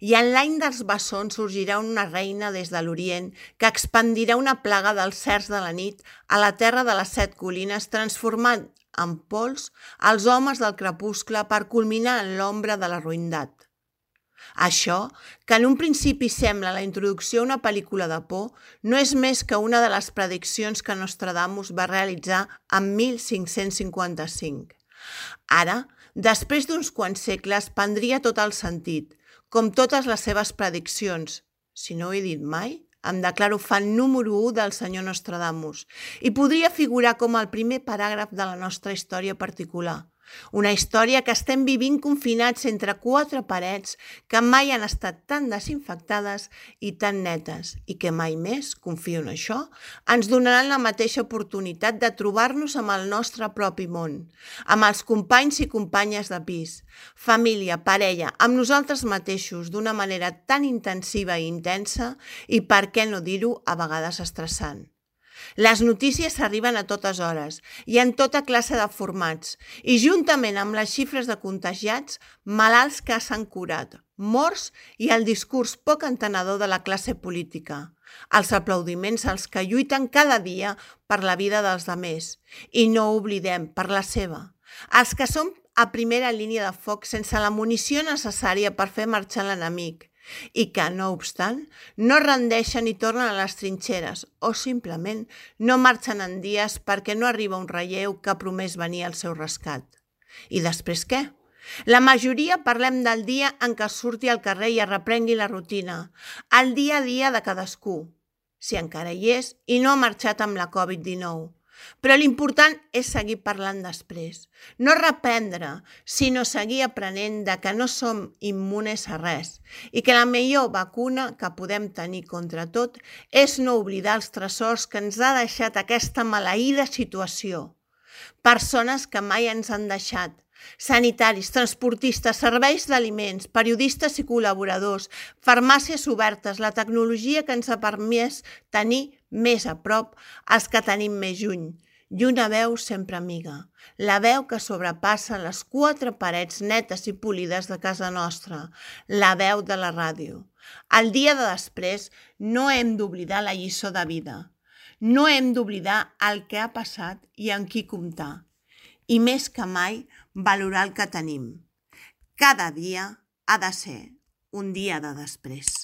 I en l'any dels bessons sorgirà una reina des de l'Orient que expandirà una plaga dels cercs de la nit a la terra de les 7 colines, transformant en pols els homes del crepuscle per culminar en l'ombra de la ruïndat. Això, que en un principi sembla la introducció a una pel·lícula de por, no és més que una de les prediccions que Nostradamus va realitzar en 1555. Ara, després d'uns quants segles, prendria tot el sentit, com totes les seves prediccions. Si no ho he dit mai, em declaro fan número 1 del senyor Nostradamus i podria figurar com el primer paràgraf de la nostra història particular. Una història que estem vivint confinats entre 4 parets que mai han estat tan desinfectades i tan netes i que mai més, confio en això, ens donaran la mateixa oportunitat de trobar-nos amb el nostre propi món, amb els companys i companyes de pis, família, parella, amb nosaltres mateixos d'una manera tan intensiva i intensa i, per què no dir-ho, a vegades estressant. Les notícies arriben a totes hores i en tota classe de formats i juntament amb les xifres de contagiats, malalts que s'han curat, morts i el discurs poc entenedor de la classe política, els aplaudiments als que lluiten cada dia per la vida dels demés i no oblidem per la seva, els que són a primera línia de foc sense la munició necessària per fer marxar l'enemic, i que, no obstant, no rendeixen i tornen a les trinxeres o simplement no marxen en dies perquè no arriba un relleu que ha promès venir al seu rescat. I després què? La majoria parlem del dia en què surti al carrer i es reprengui la rutina, el dia a dia de cadascú, si encara hi és i no ha marxat amb la Covid-19. Però l'important és seguir parlant després, no reprendre, sinó seguir aprenent de que no som immunes a res i que la millor vacuna que podem tenir contra tot és no oblidar els tresors que ens ha deixat aquesta maleïda situació. Persones que mai ens han deixat, sanitaris, transportistes, serveis d'aliments, periodistes i col·laboradors, farmàcies obertes, la tecnologia que ens ha permès tenir més a prop els que tenim més lluny, i una veu sempre amiga, la veu que sobrepassa les 4 parets netes i polides de casa nostra, la veu de la ràdio. El dia de després no hem d'oblidar la lliçó de vida, no hem d'oblidar el que ha passat i amb qui comptar, i més que mai valorar el que tenim. Cada dia ha de ser un dia de després.